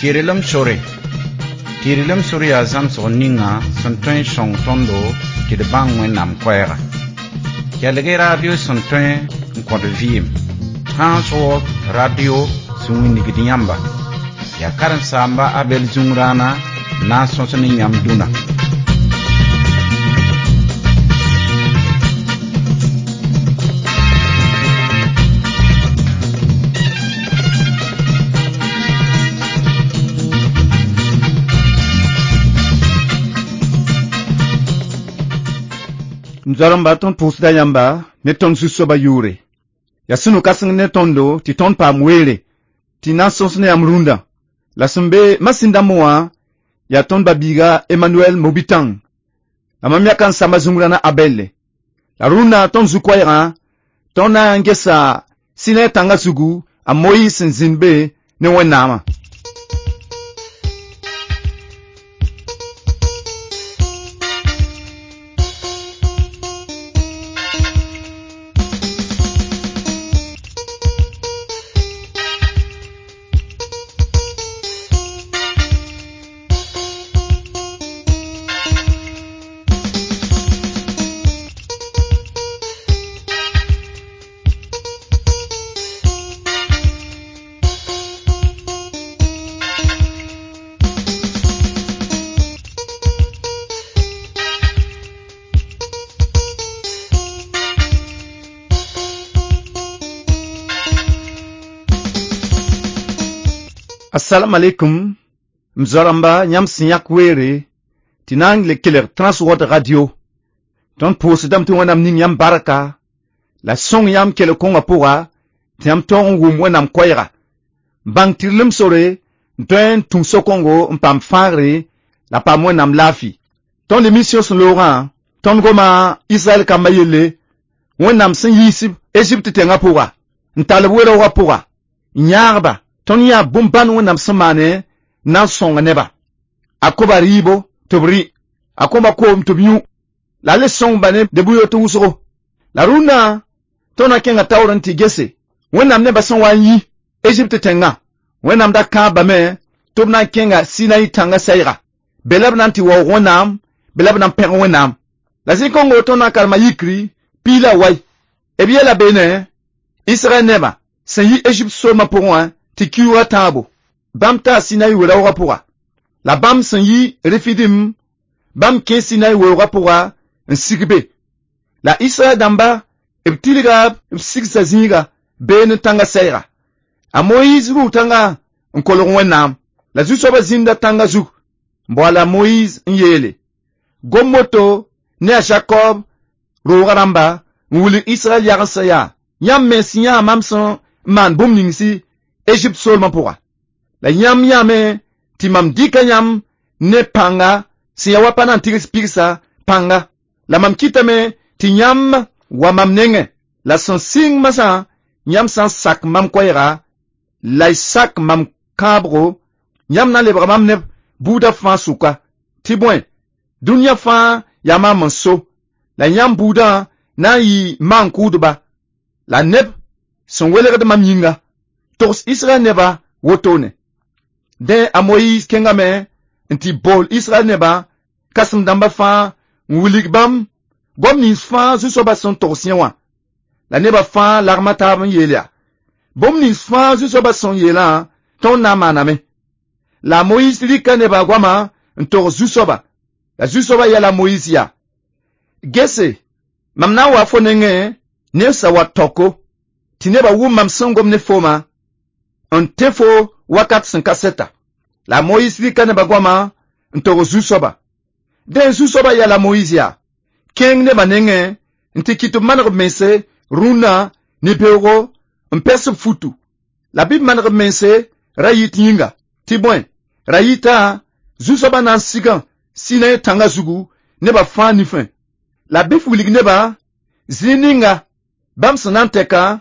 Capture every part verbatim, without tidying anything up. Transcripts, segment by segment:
Tɩrlem sore. Tɩrlem sore yaa zãmsg ninga sẽn tõe n sõng tõndo tɩ d bãng Wẽnnaam koɛɛga. Kelg-y radio sẽn tõe n kõt vɩɩm. Transworld Radio sẽn wilgd yãmba. Yaa karen-saamba Abel Zũngrãana n na n sõs ne yãmb dũnna. M zoaremba tõnd pʋʋsda yãmba ne tõnd zu-soabã yʋʋre. Yaa sũ-no-kãseng ne tõndo tɩ tõnd paam weere tɩ na n sõs ne yãmb rũndã. La sẽn be masĩn dãmbẽ wã yaa tõnd ba-biiga Emmanuel Mobitãng. La mam yaka n samba zũngrãna Abɛlle. La rũndã tõnd zu-koɛɛgã tõnd na n gesa Sinai tãngã zugu a Moyiis sẽn zĩnd be ne Wẽnnaamã. Assalamu alaikum m zoaramba yãmb sẽn yãk weere tɩ na n le kelg Transworld Radio. Tõnd pʋʋsdame tɩ Wẽnnaam ning yãmb barka la sõng yãmb kelg kõngã pʋga tɩ yãmb tõog n wʋm Wẽnnaam koɛɛga. Bãng tɩrlem sore n tõe n tũ so-kõngo n paam fãagre la paam Wẽnnaam laafɩ. Tõnd émission sẽn loogã tõnd goma Israɛl kambã yelle Wẽnnaam sẽn yiis Egypte tẽngã pʋga n tall b we-raoogã pʋga n yãag-ba tõnd yã bũmb-bãn Wẽnnaam sẽn maane na n sõnga neba. A koba rɩɩbo tɩ b rɩ, a kõba koom tɩ b yũ, la a le sõngba ne debʋ-yoot wʋsgo. La rũnnã tõnd na kẽnga taoor n tɩ gese Wẽnnaam nebã sẽn wa n yi Egypte tẽngã. Wẽnnaam da kãabame tɩ b na n kẽnga Sinai tãngã sɛɛga. Be la b na n tɩ waoog Wẽnnaam, be la b na n pẽg Wẽnnaam. La zĩ-kõngo tõnd na n karema yikri piig la wai. B yeela beene Israɛl nebã sẽn yi Egypte soolmã pʋgẽ wã tɩ kiuugã tãabo. Bãmb taa Sinai we-raoogã pʋga. La bãmb sẽn yi Refidim, bãmb kẽ Sinai weoogã pʋga n sig be. La Israɛl dãmba b tilga b sigsa zĩiga beene tãngã sɛɛga. A Moyiis rʋʋ tãngã n kolg Wẽnnaam. La zu-soabã zĩnda tãngã zug n boala a Moyiis n yeele: Gom woto ne a Jakob roogã rãmba n wilg Israɛl yagensã yaa: Yãmb mens yãa mam sẽn n maan bũmb ninsi Egypte soolmã pʋga. La yãmb yãame tɩ mam dɩka yãmb ne pãnga sẽn yaa wa pa na n tigs pigsa pãnga. La mam kɩtame tɩ yãmb wa mam nengẽ. La sẽn sɩng masã yãmb sã n sak mam koɛɛga la y sak mam kãabgo, yãmb na n lebga mam neb buudã fãa sʋka. Tɩ bõe, dũniyã fãa yaa maam n so, la yãmb buudã na n yɩ maan-kʋʋdba la neb sẽn welgd mam yĩnga. Togs Israɛl nebã wotone. Dẽ a Moyiis kẽngame n tɩ bool Israɛl nebã kãsem-dãmbã fãa n wilg bãmb goam nins fãa zu-soabã sẽn togs yẽ wã. La nebã fãa lagma taab n yeel yaa: Bũmb nins fãa zu-soabã sẽn yeelã tõnd na n maaname. La a Moyiis rɩka nebã goamã n togs zu-soaba. La zu-soabã yɛla a Moyiis yaa: Gese, mam na n wa fo nengẽ ne sã wa taoko tɩ nebã wʋm mam sẽn gom ne foomã n tẽ fo wakat sẽn ka sɛta. La a Moyiis rɩka nebã goamã n togs zu-soaba. Dẽ zu-soabã yɛla a Moyiis yaa: Kẽng nebã nengẽ n tɩ kɩt b maneg b mense rũnnã ne beoogo n pɛs b futu. La bɩ b maneg b mense ra yit yĩnga. Tɩ bõe, ra yita zu-soabã na n sigã Sinai tãngã zugu nebã fãa nifẽ. La bɩ f wilg nebã zĩig ninga bãmb sẽn na n tɛka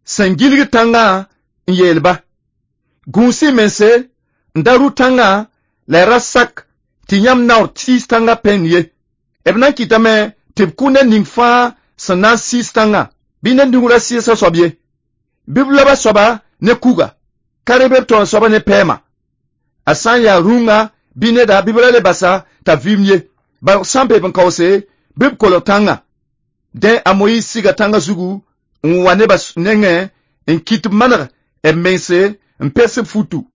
sẽn gilg tãngã n yeel-ba: Gũus-y mense n da rʋ tãngã la y ra sak tɩ yãmb naoor tiis tãngã pẽnd ye. B na n kɩtame tɩ b kʋ ned ning fãa sẽn na n sɩɩs tãngã, bɩ ned ning ra sɩɩs a soab ye. Bɩ b lob a soaba ne kuga, ka reb b taoor soaba ne pɛɛma. A sã n yaa rũngã bɩ neda bɩ b ra le basa t'a vɩɩm ye. Bark sã n beeb n kaoose, bɩ b kolg tãngã. Dẽ a Moyiis siga tãngã zugu n wa nebã nengẽ n kɩt b maneg b mense n pers b futu.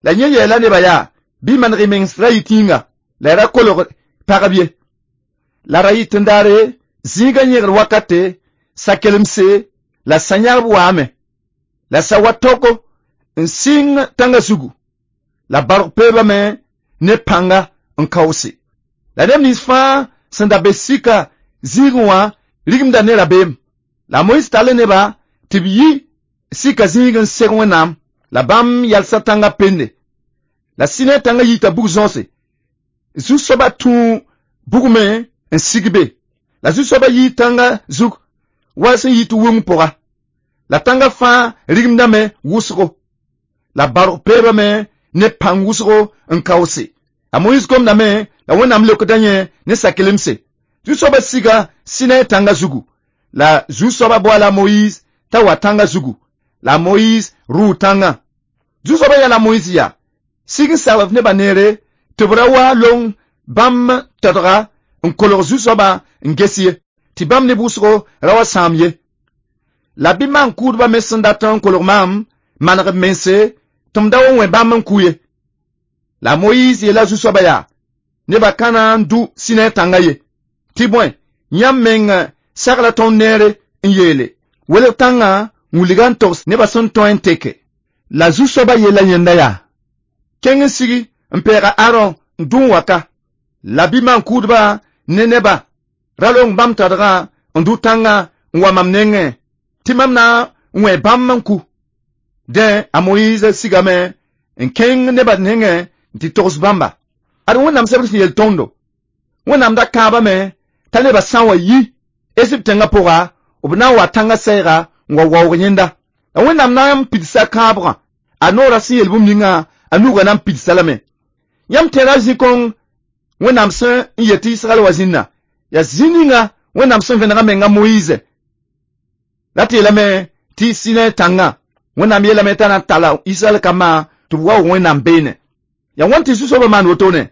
La yẽ yeela nebã yaa bɩ maneg y mens ra yɩ tĩnga la y ra kolg pagb ye. La ra yɩt n daare zĩigã yẽgr wakate sa-kelemse la sã-yãgb waame. La sa wa toko n sɩng tãngã zugu. La bark peebame ne pãnga n kaoose. La neb nins fãa sẽn da be sika zĩigẽ wã rigimda ne rabeem. La Moyiis tall neba tɩ b yi sika zĩig n seg Wẽnnaam. La bãmb yalsa tãngã pende. La Sɩnɛ tãngã yita bug-zõose. Zu-soabã tũ bugmẽ n sig be. La zu-soabã yii tãngã zug wa sẽn yit wʋng pʋga. La tãngã fãa rigimdame wʋsgo. La bark peebame ne pãng wʋsgo n kaoose. A Moyiis gomdame la Wẽnnaam leokda yẽ ne sa-kelemse. Zu-soabã siga Sɩnɛ tãngã zugu. La zu-soabã boala Moyiis t'a wa tãngã zugu. La Moyiis rʋʋ tãngã. Zu-soabã yãla Moyiis yaa sig n sagl f nebã neere tɩ b ra wa long bãmb tadga n kolg zu-soabã n ges ye, tɩ bãmb neb wʋsgo ra wa sãam ye. La bɩ maan-kʋʋdbã me sẽn dat n kolg maam maneg b mense tɩ m da wa wẽ bãmb n kʋ ye. La Moyiis yeela zu-soabã yaa nebã ka na n dʋ Sɩnɛ tãngã ye. Tɩ bõe, yãmb meng sagla tõnd neere n yeele welg tãngã n wilga n togs nebã sẽn tõe n teke. La zu-soabã yeela yẽnda yaa kẽng n sigi n pɛɛga Aron n dũ n wa ka. La bɩ maan-kʋʋdbã ne nebã ra long bãmb tadgã n dʋ tãngã n wa mam nengẽ tɩ mam na n wẽ bãmb n ku. Dẽ a Moyiis sigame n kẽng nebã nengẽ n tɩ togs bãmba. Ad Wẽnnaam sebr sẽn yel tõndo. Wẽnnaam da kãabame t'a nebã sã n wa yi Ezipt tẽngã pʋga b na n wa tãngã sɛɛga n wa waoog yẽnda. La Wẽnnaam na n pidsa kãabgã a noorã sẽn yel bũmb ninga a nugã na n pidsa lame. Yãmb tẽra zĩ-kõng Wẽnnaam sẽn n yet tɩ Israɛl wa zĩnna yaa zĩ ninga Wẽnnaam sẽn vẽnega menga Moyiise. La tɩ yeelame tɩ Sɩnɛ tãngã Wẽnnaam yeelame t'a na n talla Israɛl kambã tɩ b waoog Wẽnnaam beene. Yaa wãn tɩ zu-soabã maan wotone?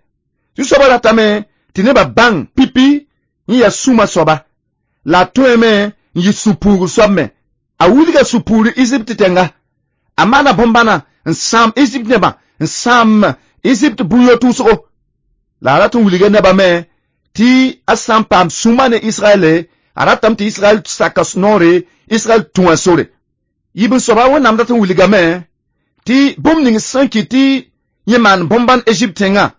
Zu-soabã ratame tɩ nebã bãng pipi n yaa sũma soaba. La a tõeme n yɩ sũ-puugr soab me. A wilga sũ-puugr Ezipt tẽnga. A maana bõn-bãna n sãam Ezipt nebã n sãam Ezipt bũn-yot wʋsgo. La a rat n wilga nebã me tɩ a sã n paam sũma ne Israɛle, a ratame tɩ Israɛl saka noore, Israɛl tũ a sore. Yib n soaba Wẽnnaam dat n wilgame tɩ bũmb ning sẽn kɩt tɩ yẽ maan bõn-bãn Ezipt tẽngã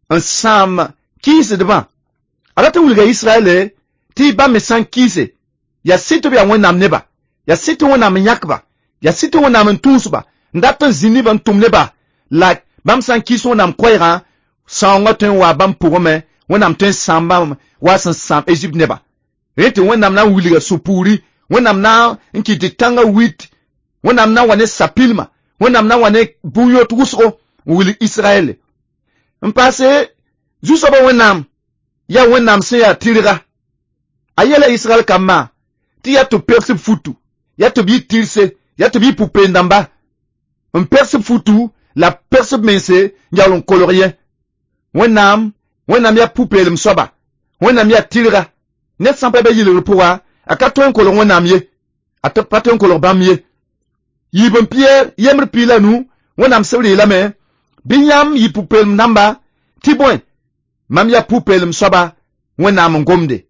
n sãam kɩɩsdbã. A rat n wilga Israɛle tɩ bãmb me sã n kɩɩse, yaa sɩd tɩ b yaa Wẽnnaam neba, yaa sɩd tɩ Wẽnnaam n yãkba, yaa sɩd tɩ Wẽnnaam n tũusba, n dat n zĩ nebã n tʋm neba, la bãmb sã n kɩɩs Wẽnnaam koɛɛgã, sãoongã tõe n waa bãmb pʋgẽ me, Wẽnnaam tõe n sãam bãmb wa sẽn sãam Ezipt neba. Rẽ tɩ Wẽnnaam na n wilga sũ-puuri, Wẽnnaam na n kɩt tɩ tãngã wit, Wẽnnaam na n wa ne sapilma, Wẽnnaam na n wa ne bũn-yot wʋsgo n wilg Israɛle. N paase zu-soabã Wẽnnaam yaa Wẽnnaam sẽn yaa tɩrga. A yeela Israɛl kambã tɩ yaa tɩ b pers b futu, yaa tɩ b yɩ tɩrse, yaa tɩ b yɩ pʋ-peend-dãmba. N pers b futu la pers b mense n yaool n kolg yẽ. Wẽnnaam Wẽnnaam yaa pʋ-peelem soaba, Wẽnnaam yaa tɩrga. Ned sã n pa be yɩlgr pʋga, a ka tõe n kolg Wẽnnaam ye, a pa tõe n kolg bãmb ye. Yiib n Pɩyɛɛr yembr piig la nu, Wẽnnaam sebr yeelame bɩ yãmb yɩ pʋ-peelem dãmba tɩ bõe mam yaa pʋ-peelem soaba Wẽnnaam n gomde.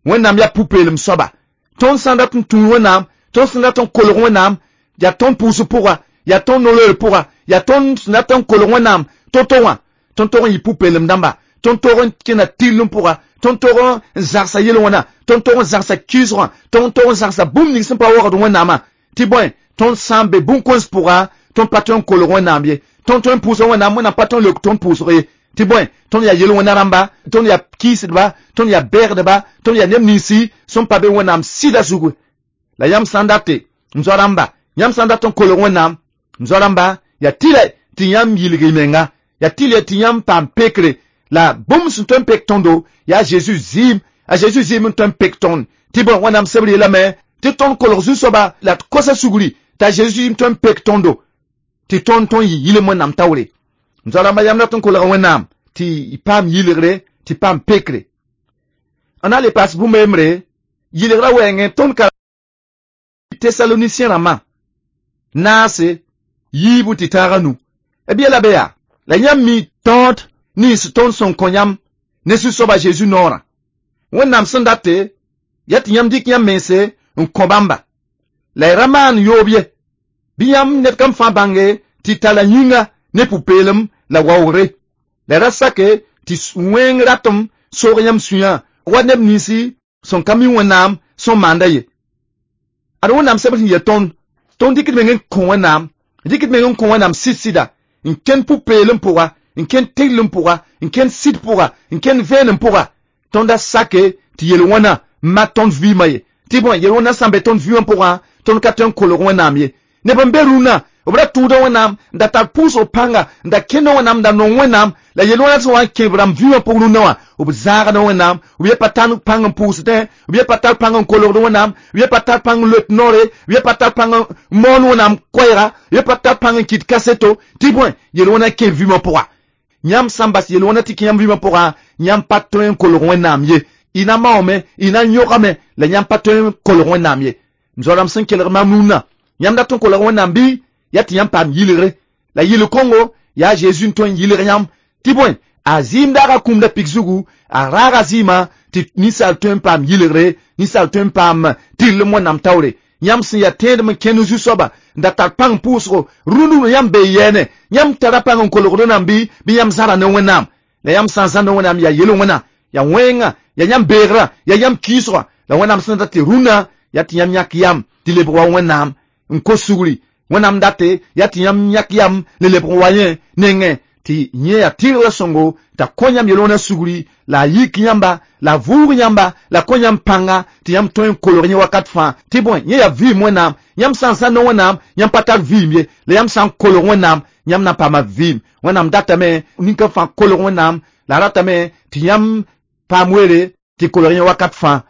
Wẽnnaam yaa pʋ-peelem soaba. Tõnd sã n dat n tũu Wẽnnaam, tõnd sẽn dat n kolg Wẽnnaam, yaa tõnd pʋʋsg pʋga, yaa tõnd no-loeer pʋga, yaa tõnd sẽn dat n kolg Wẽnnaam to-to wã, tõnd tog n yɩ pʋ-peelem dãmba, tõnd tog n kẽna tɩrlem pʋga, tõnd tog n zagsa yel-wẽna, tõnd tog n zagsa kɩɩsgã, tõnd tog n zagsa bũmb ning sẽn pa waoogd Wẽnnaamã, tɩ bõe tõnd sã n be bũn-kõns pʋga, tõnd pa tõe n kolg Wẽnnaam ye, tõnd tõe n pʋʋsa Wẽnnaam, Wẽnnaam pa tõe n leok tõnd pʋʋsg ye, tɩ bõe tõnd yaa yel-wẽna rãmba, tõnd yaa kɩɩsdba, tõnd yaa bɛɛgdba, tõnd yaa neb ninsi sẽn pa be Wẽnnaam sɩda zugu. La yãmb sã n date m zoa rãmba, yãmb sã n dat n kolg Wẽnnaam, m zoa rãmba, yaa tɩlɛ tɩ yãmb yilg y menga, yaa tɩlɛ tɩ yãmb paam pekre, la bũmb sẽn tõe n pek tõndo yaa Zeezi zɩɩm, a Zeezi zɩɩm n tõe n pek tõnd. Tɩ bõe Wẽnnaam sebr yeelame tɩ tõnd kolg zu-soaba la d kosa sugri t'a Zeezi zɩɩm tõe n pek tõndo, tɩ tõnd tõnd yɩ yɩlem Wẽnnaam taoore. M zoa-rãmba yãmb dat n kolga Wẽnnaam tɩ y paam yɩlgre tɩ paam pekre. N na le paas bũmb a yembre yɩlgrã wɛɛngẽ tõnd ka Tesalonisiyẽ rãmbã naase yiibu tɩ tãag nu. B yɛla be yaa la yãmb mi tõod nins tõnd sẽn kõ yãmb ne Zu-soaba Zeezi noorã. Wẽnnaam sẽn date yaa tɩ yãmb dɩk yãmb mense n kõ bãmba. La y ra maan yoob ye. Bɩ yãmb ned kam fãa bãnge tɩ tala yĩnga ne pʋ-peelem la waoogre. La y ra sake tɩ wẽng ratem soog yãmb sũyã wa neb ninsi sẽn ka mi Wẽnnaam sẽn maanda ye. Ad Wẽnnaam sebr sẽn yel tõnd, tõnd dɩkd meng n kõ Wẽnnaam, dɩkd meng n kõ Wẽnnaam sɩd-sɩda, n kẽnd pʋ-peelem pʋga, n kẽnd teglem pʋga, n kẽnd sɩd pʋga, n kẽnd vẽenem pʋga. Tõnd a sake tɩ yel-wẽna n mak tõnd vɩɩmã ye. Tɩ bõe yel-wẽna sã n be tõnd vɩɩmã pʋgã, tõnd ka tõe n kolg Wẽnnaam ye. Neb n be rũnnã, b ra tʋʋda Wẽnnaam, n da tar pʋʋsg pãnga, n da kẽnda Wẽnnaam, n da nong Wẽnnaam, la yel-wẽna sẽn wa n kẽ b rãmb vɩɩmã pʋg rũnnã wã, b zãagda Wẽnnaam, b ye pa tar pãng n pʋʋsdẽ, b ye pa tar pãng n kolgd Wẽnnaam, b ye pa tar pãng n loet noore, b ye pa tar pãng n moon Wẽnnaam koɛɛga, b ye pa tar pãng n kɩt kaseto, tɩ bõe yel-wẽna kẽ vɩɩmã pʋga. Yãmb sã n bas yel-wẽna tɩ kẽ yãmb vɩɩmã pʋgã, yãmb pa tõe n kolg Wẽnnaam ye. Y na maoome, y na n yõgame, la yãmb pa tõe n kolg Wẽnnaam ye. M zoa-rãmb sẽn kelg mam rũnnã, yãmb dat n kolg Wẽnnaam bɩ yaa tɩ yãmb paam yɩlgre. La yɩl-kõngo yaa Zeezi n tõe n yɩlg yãmb. Tɩ bõe a zɩɩm daagã kũumda pik zugu, a raaga zɩɩmã tɩ ninsaal tõe n paam yɩlgre, ninsaal tõe n paam tɩrlem Wẽnnaam taoore. Yãmb sẽn yaa tẽedem n kẽnd Zu-soaba n da tar pãng pʋʋsgo, rũnd yãmb bee yɛɛne, yãmb tara pãng n kolgd Wẽnnaam bɩ bɩ yãmb zãra ne Wẽnnaam. La yãmb sã n zãr ne Wẽnnaam yaa yel-wẽna, yaa wẽnga, yaa yãmb beegrã, yaa yãmb kiisgã. La Wẽnnaam sẽn dat tɩ rũnnã yaa tɩ yãmb yãk yam tɩ lebg wa Wẽnnaam n kos sugri. Wẽnnaam date yaa tɩ yãmb yãk yam le lebg wa yẽ nengẽ tɩ yẽ yaa tɩrgrã sõngo t'a kõ yãmb yel-wẽna sugri, la a yik yãmba, la a vʋʋg yãmba, la a kõ yãmb pãnga tɩ yãmb tõe n kolg yẽ wakat fãa. Tɩ bõe yẽ yaa vɩɩm Wẽnnaam. Yãmb sã n zãr ne Wẽnnaam, yãmb pa tar vɩɩm ye. La yãmb sã n kolg Wẽnnaam, yãmb na n paama vɩɩm. Wẽnnaam datame nin-kã fãa kolg Wẽnnaam, la a ratame tɩ yãmb paam weere tɩ kolg yẽ wakat fãa.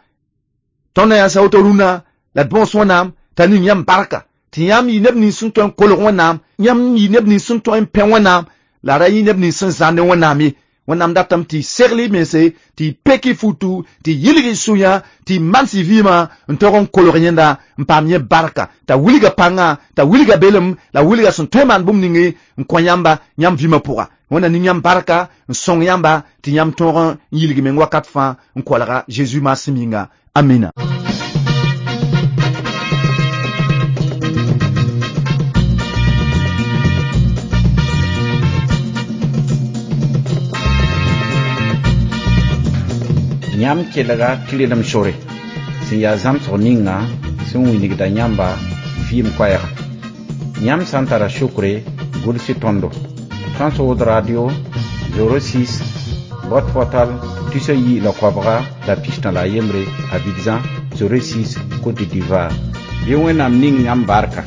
Tõnd na yaa sa woto rũnnã, la d bõos Wẽnnaam t'a ning yãmb barka, tɩ yãmb yɩ neb nins sẽn tõe n kolg Wẽnnaam, yãmb yɩ neb nins sẽn tõe n pẽ Wẽnnaam, la ra yɩ neb nins sẽn zãr ne Wẽnnaam ye. Wẽnnaam datame tɩ y segl y mense, tɩ y pek y futu, tɩ y yɩlg y sũyã, tɩ y mans y vɩɩmã n tog n kolg yẽnda n paam yẽ barka, t'a wilga pãngã, t'a wilga belem, la wilga sẽn tõe n maan bũmb ninge n kõ yãmba yãmb vɩɩmã pʋga. Wẽnna ning yãmb barka n sõng yãmba tɩ yãmb tõog n yilg meng wakat fãa n kolga Zeezi maasem yĩnga. Amina. Yãmb kelga tɩrlem sore sẽn yaa zãmsg ninga sẽn wilgda yãmba vɩɩm koɛɛga. Yãmb sã n tara sokre, gʋls tõndo. Transworld Radio zéro six boîte postale tusa yi la koabga la pistã la a yembre Abidjan zéro six Côte d'Ivoire. Bɩ Wẽnnaam ning yãmb barka.